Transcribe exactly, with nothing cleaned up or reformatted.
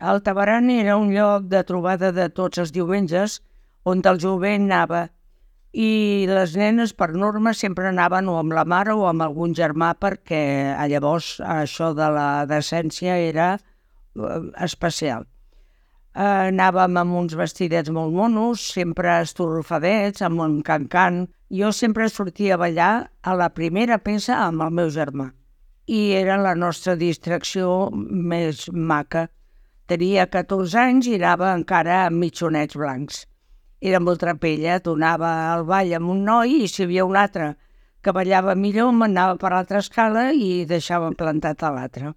El Tabaran era un lloc de trobada de tots els diumenges on el jovent anava i les nenes per norma sempre anaven o amb la mare o amb algun germà perquè llavors això de la decència era especial. Anàvem amb uns vestidets molt monos, sempre estorrofadets, amb un can-can. Jo sempre sortia a ballar a la primera peça amb el meu germà i era la nostra distracció més maca. Tenia catorze anys i anava encara amb mitjonets blancs. Era molt trapella, donava el ball amb un noi i si hi havia un altre que ballava millor m'anava per l'altra escala i deixava plantat a l'altre.